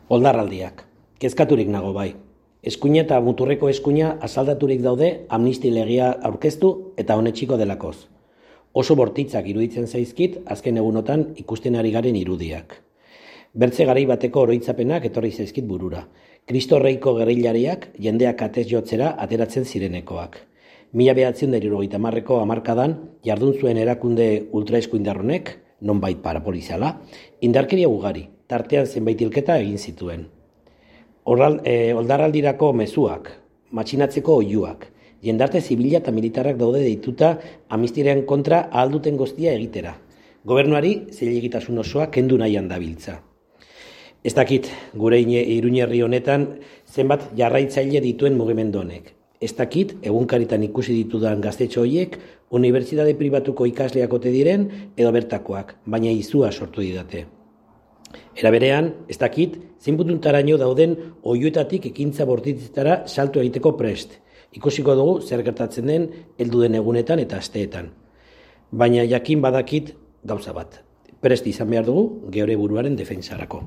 Oldarraldiak. Kezkaturik nago bai. Eskuina eta muturreko eskuina asaldaturik daude amnisti legea aurkeztu eta honetxiko delakoz. Oso bortitzak iruditzen zaizkit azken egunotan ikusten ari garen irudiak. Bertze garai bateko oroitzapenak etorri zaizkit burura. Kristo Reiko gerrillariak jendeak atez jotzera ateratzen zirenekoak. 1970ko hamarkadan jardun zuen erakunde ultraeskuindarronek, nonbait parapoliziala, indarkeria ugari, tartean zenbait hilketa egin zituen. Oldarraldirako mezuak, matxinatzeko oihuak, jendarte zibila eta militarrak daude deituta amnistiaren kontra ahal duten guztia egitera. Gobernuari zilegitasun osoa kendu nahian dabiltza. Ez dakit gure Iruñerri honetan zenbat jarraitzaile dituen mugimendu honek. Ez dakit egunkaritan ikusi ditudan gaztetxo horiek unibertsitate pribatuko ikasleak ote diren edo bertakoak, baina izua sortu didate. Era berean, ez dakit, zinputuntaraino dauden oihuetatik ekintza bortitzetara salto egiteko prest. Ikusiko dugu zer gertatzen den heldu den egunetan eta asteetan. Baina jakin badakit gauza bat. Prest izan behar dugu geure buruaren defentsarako.